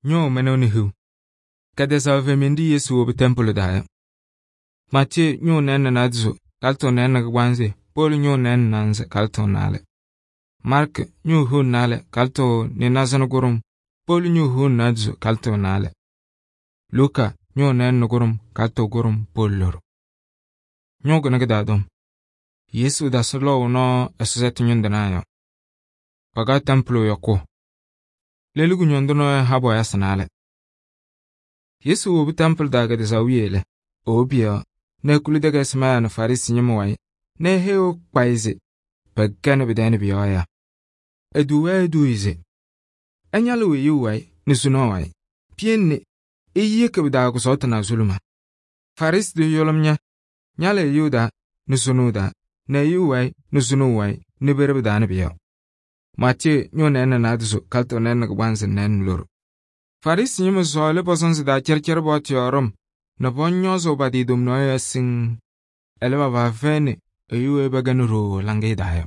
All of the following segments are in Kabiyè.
ñoo mɛnʋ ni hiu. Kɛtɛzaɣ femindi Yesu wobi tɛmpʋlɩ daa yɔ. Maatiyee ñʋʋ nɛɛnɩ naadozo kalɩtʋ nɛɛnɩ kɩgbaanzɩ Poolu ñʋʋ nɛɛnɩ naanza kalɩtʋ naalɛ. Maarkɩ ñʋʋ hiu naalɛ kalɩtʋ nɩnaazɩ kʋɖʋm Poolu ñʋʋ hiu naadozo kalɩtʋ naalɛ. Luka ñʋʋ nɛɛnɩ kʋɖʋm kalɩtʋ kʋɖʋm Poolu lʋrʋ. Ñʋʋ kʋnɩ kɩ-daa Yesu dasɩ lɔʋ nɔɔ ɛsɔtɛtʋ ñʋŋtɩnaa yɔ. Pakaɣ tɛmpʋlɩ yɔkʋʋ. Lelu kʋñɔndʋ nɔɔyʋ ha bɔɔyasɩ naalɛ. Yesu wobi tɛmpʋlɩ daa kɛtɛzaɣ wiye lɛ, ewobi pɩ-yɔɔ nɛ ekuli takɩsɩmayaa nɛ Farɩsɩ ñɩma wayɩ nɛ eheyi kpayɩ se pɛkɛnɩ pɩ-tɛɛ pʋ-yɔɔ yaa. Eduu-wɛ eduuye se ɛñalɩ weyuu wayɩ nɛ suna wayɩ. Piyenni eyeki pɩ-taa kʋsɔɔtɩ na-azuluma. Farɩsɩ tʋ yʋlʋm ñalɩ eyuu daa nɛ sunuu daa nɛ eyuu wayɩ nɛ sunuu wayɩ nɛ pere pɩ-taa nɛ pʋ-yɔɔ. Maatiyee ñʋʋ nɛɛnɩ naadozo kalɩtʋ nɛɛnɩ kɩgbaanzɩ nɛɛnɩ lʋrʋ. Farɩsɩ ñɩma sɔɔlɩ pɔ-sɔnzɩ taa cɛrcɛr paɣtʋ yɔɔ ɖɔm nɛ pɔñɔɔzʋʋ pa-tɩ tomnaɣ yɔɔ siŋŋ. Ɛlɛ pa-paa fɛyɩnɩ eyuu weyi pɛkɛnɩ ɖooo laŋɩyɛ daa yɔ.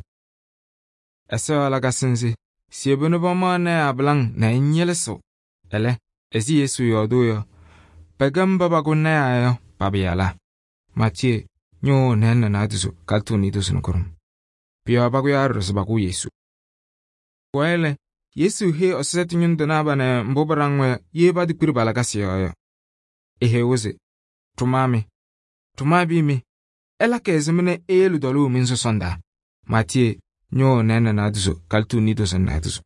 Ɛsɔ yɔɔ lakasɩ nzɩ siebu nɛ pamaɣ lɔɔyɩsɩ tɩnaa nɛ ɛñɩlɩsɩɣ. Ɛlɛ, ɛzɩ Yesu yɔɔdʋʋ yɔ, pɛkɛ mba pakʋ lɔɔyɩsɩ yɔ pa-pɩyalaa. Maatiyee ñʋʋ nɛɛnɩ naadozo kalɩtʋ niidozo nɛ kʋɖʋm. Pʋ-yɔɔ pakʋyaa ɖɔɖɔ se pakʋ Yesu. Pʋwayɩ lɛ, Yesu heyi ɛsɔtɛtʋ ñʋŋtɩnaa banɛ mbʋ pɩɖaŋ-wɛ ye patikpiri pa-lakasɩ yɔɔ yɔ. Eheyi-wɛ se: tʋma bii mɩ, ɛlakɩ ɛzɩma nɛ eyele dɔlʋʋ mi-sɔsɔndaa. Maatiyee ñʋʋ nɛɛnɩ naadozo kalɩtʋ niidozo nɛ naadozo.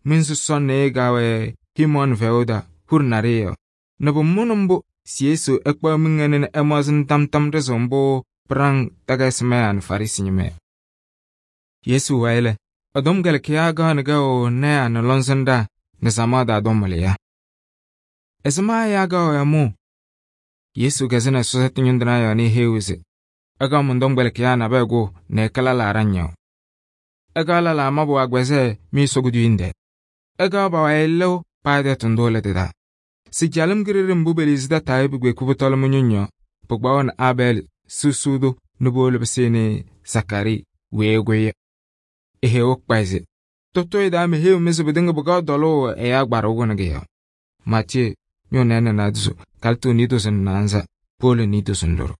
Mi-sɔsɔn nɩɩyɩ gaawɛ Himɔɔnɩ fɛʋʋ daa huri naɖɩyɛ yɔ. Nɛ pʋmʋnɩ mbʋ si Yesu ɛkpaɣ miŋ ɛnɛ nɛ ɛmaɣzɩnɩ tam ɖɩzɩɣ mbʋ pɩɖaŋ takɩsɩmayaa nɛ Farɩsɩ ñɩma yɔ. Yesu wayɩ lɛ, ɛ-tɔmkpɛlɩkɩyaa gaɣnɩ gaʋ lɔɔyɩsɩ nɛ lɔŋsɩnɖaa nɛ samaɣ daa dɔm wɩlɩyaa. Ɛzɩma ɛyaa gaʋ mʋʋ? Yesu kɛzɩnɩ ɛsɔtɛtʋ ñʋŋtɩnaa yɔɔ nɛ eheyi-wɛ se: ɛgaɣ mɔn-tɔmkpɛlɩkɩyaa nabɛyɛ kʋʋ nɛ ɛka lɛlaa ɖaŋ-yɔɔ. Ɛgaɣ lɛlaa mabʋ agbɛzɛɛ mɩ-Ɛsɔ kuduyim tɛɛ. Ɛgaɣ pa-wayɩ lɩʋ paa tɛtʋ ndʋ lɛ tɩ-taa. Si calɩm kiɖeɖe mbʋ pe-liizi tataa yɔ pɩkpeku pʋtɔlɩ mɩ-ñʋŋ yɔ, pɩkpaɣʋnɩ Abɛɛlɩ susuu tʋ nɛ powolo pɩsɩnɩ Sakarii weyi ɛkʋyɩ yɔ. Eheyi-wɛ kpayɩ se: tʋtʋyɛ daa meheyiɣ-mɩ se pɩtɩŋa pɩkaɣ dɔlʋʋ ɛyaa gbarʋ kʋnɩ kɩ-yɔɔ. Maatiyee ñʋʋ nɛɛnɩ naadozo kalɩtʋ niidozo nɛ naanza Poolu niidozo nɛ lʋrʋ.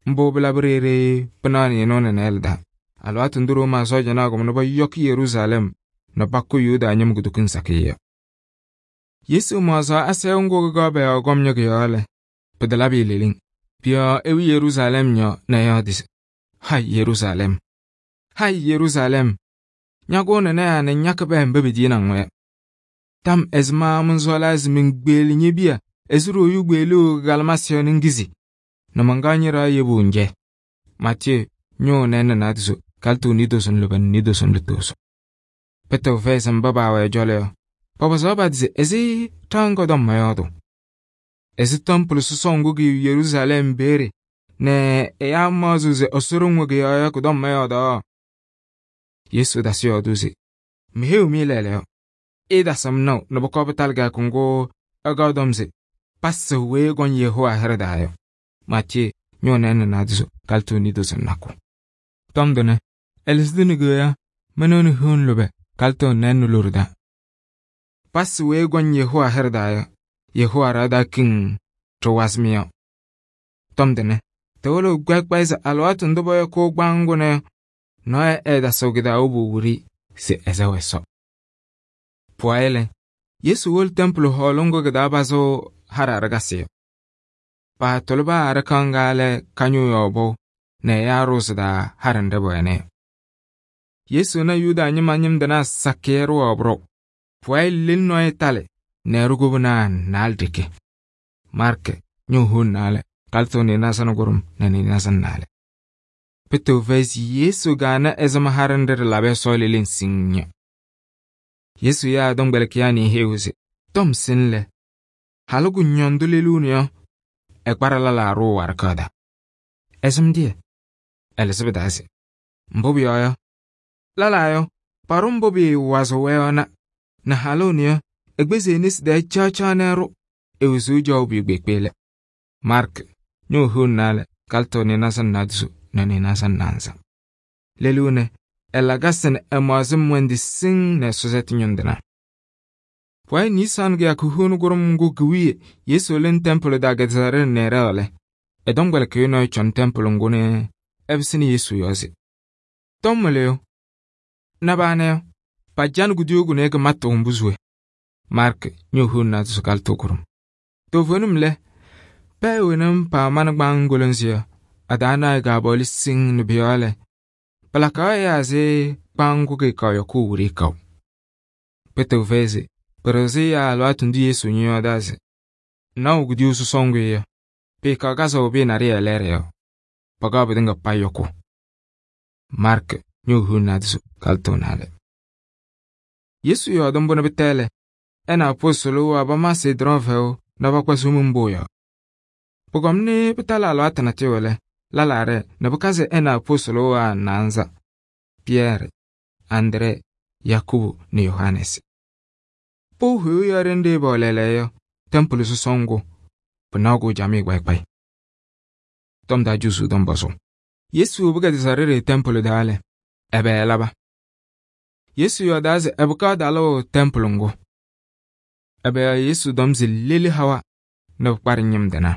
Mbʋ pɩlabɩ ɖeɖe pɩnaɣ nɩɩnʋ nɛ nɛɛlɩ daa. Alɩwaatʋ ndʋ Rooma sɔɔjanaa kɔmʋ nɛ pɔyɔkɩ Yeruusalɛm nɛ pakʋ Yuda ñɩma kutoku sakɩyɛ yɔ. Yesu maɣzaɣ asayʋʋ ŋgʋ kɩkaɣ pɛ-yɔɔ kɔmnyɔ kɩ-yɔɔ lɛ, pɩtalabɩ leleŋ. Pʋ-yɔɔ ewi Yeruusalɛm yɔ nɛ ɛyɔɔdɩ se: Hai Yeruusalɛm, ñakʋʋnɩ lɔɔyɩsɩ nɛ ñakɩ pɛɛ mba pediyini-ŋ yɔ. Tam ɛzɩma mɔnsɔɔlaa se meŋkpeeli ñe-piya ɛzɩ ɖooyu kpeeliɣ kɩ-kalɩmasɩ yɔ nɛ ŋkizi, nɛ mankaɣ ñɩ-ɖɩɣa yebu ŋjɛ. Maatiyee ñʋʋ nɛɛnɩ naadozo kalɩtʋ niidozo nɛ lʋbɛ nɛ niidozo nɛ lutozo. Pɩtɩɣ fɛyɩ se mba baawɛ ɛ-cɔlɔ yɔ, papɔzaɣ pa-tɩ se ɛzɩ ɖaɣ ŋga tɔm mɔyɔɔdʋ. Ɛzɩ tɛmpʋlɩ sɔsɔɔ ŋgʋ kɩ-yɩ Yeruusalɛm peere nɛ ɛyaa maɣzɩɣ se Ɛsɔ ɖoŋ-wɛ kɩ-yɔɔ yɔ kʋ-tɔm mɔyɔɔdɔ. Yesu dasɩ yɔɔdʋʋ se: meheyiɣ-mɩ lɛɛlɛɛyɔ, ɩɩtasɩ-m naʋ nɛ pʋkɔɔ pɩtalɩ kɩyakʋ ŋgʋ ɛgaɣ tɔm se pasɩ weyi ɛkɔŋ Yehowa hɩɖɛ daa yɔ. Maatiyee ñʋʋ nɛɛnɩ naadozo kalɩtʋ niidozo nɛ nakʋ. Tɔm tʋnɛ ɛlɩsɩ tɩ nɩgɨya mɛnʋ nɩ hiu lʋbɛ kalɩtʋ nɛɛnɩ lʋrʋ daa. Pasɩ weyi ɛkɔŋ Yehowa hɩɖɛ daa yɔ, Yehowa ɖaa daa kiŋ tɩ wazɩ-mɩ yɔ. Tɔm tʋnɛ tɩwʋlʋ kpɛkpɛyɩ se alɩwaatʋ ndʋ pɔyɔkʋʋ kpaŋʋnɛ yɔ, nɔɔyʋ ɛɛtasɩɣ kɩ-taa wobu wuri se ɛzɛwɛ Ɛsɔ. Pʋwayɩ lɛ, Yesu wolo tɛmpʋlɩ hɔɔlʋ ŋgʋ kɩ-taa pazɩɣ harɩ aɖɩkasɩ yɔ. Paatʋlɩ paa aɖɩka ŋga lɛ kañʋʋ yɔɔ bʋ nɛ ɛyaa ɖʋʋzɩ daa harɩ nɖɩ bʋwɛnɩ yɔ. Yesu na Yuda ñɩma ñɩmdɩnaa sakɩyɛ ɖʋwaɣ bʋrʋ. Pʋwayɩ lelu nɔɔyʋ talɩ nɛ ɛrʋ-gobinaa naalɛ ɖeke. Maarkɩ ñʋʋ hiu naalɛ kalɩtʋ nɩɩnaza nɛ kʋɖʋm nɛ nɩɩnaza nɛ naalɛ. Pɩtɩɣ fɛyɩ se Yesu gaana ɛzɩma harɩ nɖɩ ɖɩlabɩ Ɛsɔ leleŋ siŋŋ yɔ. Yesu yaa ɛ-tɔmkpɛlɩkɩyaa nɛ eheyi-wɛ se: tɔm sɩn lɛ, halʋ kʋñɔndʋ leluni yɔ, ɛkparɩ lɛlaa ɖʋʋ warɩkaɣ daa. Ɛzɩm dɩyɛ? Ɛlɩzɩ pɩ-taa se: mbʋ pʋyɔɔ yɔ, lɛlaa yɔ, paɖʋ mbʋ pɩɩwazɩɣ-wɛ yɔ na halʋʋnɩ yɔ, ɛkpɛzɩ e-nesi daa caɣ nɛ ɛrʋ, ewezuu jaw pɩɩkpeekpeelɛ. Maarkɩ ñʋʋ hiu naalɛ kalɩtʋ nɩɩnaza nɛ naadozo nɛ nɩɩnaza nɛ naanza. Lelu nɛ ɛlakasɩ nɛ ɛmaɣzɩ mwɛndɩ siŋŋ nɛ ɛsɔtɛtʋ ñʋŋtɩnaa. Pʋwayɩ Nisan kɩyakʋ hʋʋnʋ kʋɖʋm ŋgʋ kɩwiye Yesu lɩnɩ tɛmpʋlɩ taa Gedasarii nɩɩɖɛ lɛ, ɛ-tɔmkpɛlɩkɩyʋ nɔɔyʋ cɔnɩ tɛmpʋlɩ ŋgʋ nɛ ɛpɩsɩnɩ Yesu yɔɔ se: “Tɔm wɩlɩyʋ, na pana yɔ, pajanɩ kuduyuu kʋnɛ kɩmatʋ mbʋ se we?” Maarkɩ ñʋʋ hʋʋnɩ naadozo kalɩtʋ kʋɖʋm. Toovenim lɛ, pɛɛ wena paamanɩ kpaaŋ goloŋsi yɔ, a-taa naɣ kaapɔɔlɩ siŋŋ nɛ pʋ-yɔɔ lɛ, pɩlakaɣ ɛyaa ɛzɩ kpaaŋ ŋgʋ kɩɩkaɣ yɔkʋʋ wiɖiyi kaʋ. Pɩtɛʋ fɛyɩ se pɩɖɩɣzɩ ɛyaa alɩwaatʋ ndʋ Yesu ñɔyɔɔdaa se naʋ kuduyuu sɔsɔʋ ŋgʋ yɔ, pɩɩkaɣ kazʋʋ pɩyɛ naɖɩyɛ lɛɛɖɛ yɔ, pakaɣ pɩtɩŋa payɩ yɔkʋʋ. Maarkɩ ñʋʋ hʋʋnɩ naadozo kalɩtʋ naalɛ. Yesu yɔɔdɩ mbʋ nɛ pɩtɛ lɛ, ɛ nɛ apɔstʋlʋ waa pama Seedrɔn fɛʋ nɛ pakpa Somiŋ Pʋʋ yɔɔ. Pʋkɔm nɛ pɩtalɩ alɩwaatʋ natʋyʋ lɛ, lɛlaa ɖɛɛ nɛ pɩkazɩ ɛ nɛ apɔstʋlʋ waa naanza: Pɩyɛɛrɩ, Andree, Yakubu nɛ Yohanɛɛsɩ. Pʋʋ hʋyʋʋ yɔ ɖenɖe pɛwɛ lɛɛlɛɛyɔ yɔ, tɛmpʋlɩ sɔsɔʋ ŋgʋ pɩnaɣ-kʋ camɩyɛ kpayɩ. Tɔm taa Josuu tɔm pɔzʋʋ. Yesu wobi Gedasarii tɛmpʋlɩ taa lɛ, ɛbɛ ɛlaba? Yesu yɔɔdaa se ɛpɩkaɣ talʋʋ tɛmpʋlɩ ŋgʋ. Ɛbɛ Yesu tɔm se leli hawa nɛ pɩkpaɖɩ ñɩm tɩnaa.